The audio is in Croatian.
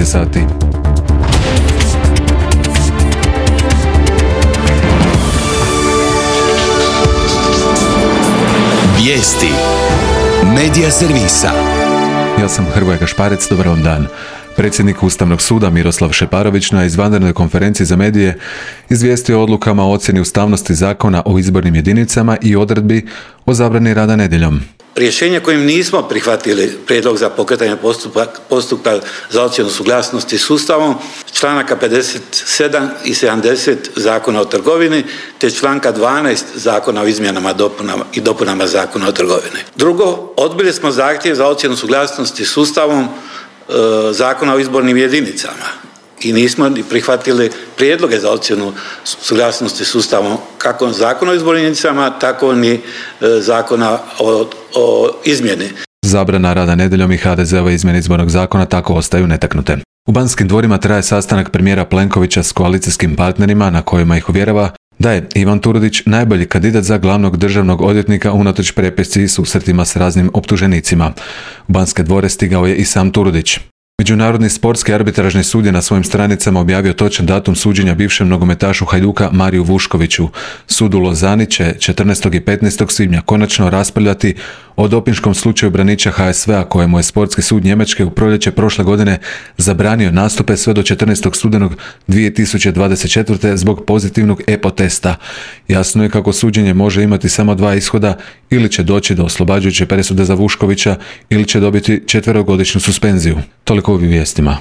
je sati. Vijesti Medija servisa. Ja sam Hrvoje Gašparec, dobar vam dan. Predsjednik Ustavnog suda Miroslav Šeparović na izvanrednoj konferenciji za medije izvijestio o odlukama o ocjeni ustavnosti zakona o izbornim jedinicama i odredbi o zabrani rada nedjeljom. Rješenje kojim nismo prihvatili prijedlog za pokretanje postupka za ocjenu suglasnosti s Ustavom, članaka 57 i 70 Zakona o trgovini, te članka 12 Zakona o izmjenama i dopunama Zakona o trgovini. Drugo, odbili smo zahtjev za ocjenu suglasnosti s Ustavom Zakona o izbornim jedinicama i nismo ni prihvatili prijedloge za ocjenu suglasnosti s Ustavom kako Zakona o izbornim jedinicama, tako ni Zakona o izmjeni. Zabrana rada nedjeljom i HDZ-ove izmjene izbornog zakona tako ostaju netaknute. U Banskim dvorima traje sastanak premijera Plenkovića s koalicijskim partnerima na kojima ih uvjerava da je Ivan Turudić najbolji kandidat za glavnog državnog odvjetnika unatoč prepisci i susretima s raznim optuženicima. U Banske dvore stigao je i sam Turudić. Međunarodni sportski arbitražni sud je na svojim stranicama objavio točan datum suđenja bivšem nogometašu Hajduka Mariju Vuškoviću. Sud u Lozani će 14. i 15. svibnja konačno raspravljati o dopinškom slučaju braniča HSV-a kojemu je sportski sud Njemačke u proljeće prošle godine zabranio nastupe sve do 14. studenog 2024. zbog pozitivnog EPO testa. Jasno je kako suđenje može imati samo dva ishoda, ili će doći do oslobađajuće presude za Vuškovića ili će dobiti 4-godišnju suspenziju. Toliko u vijestima.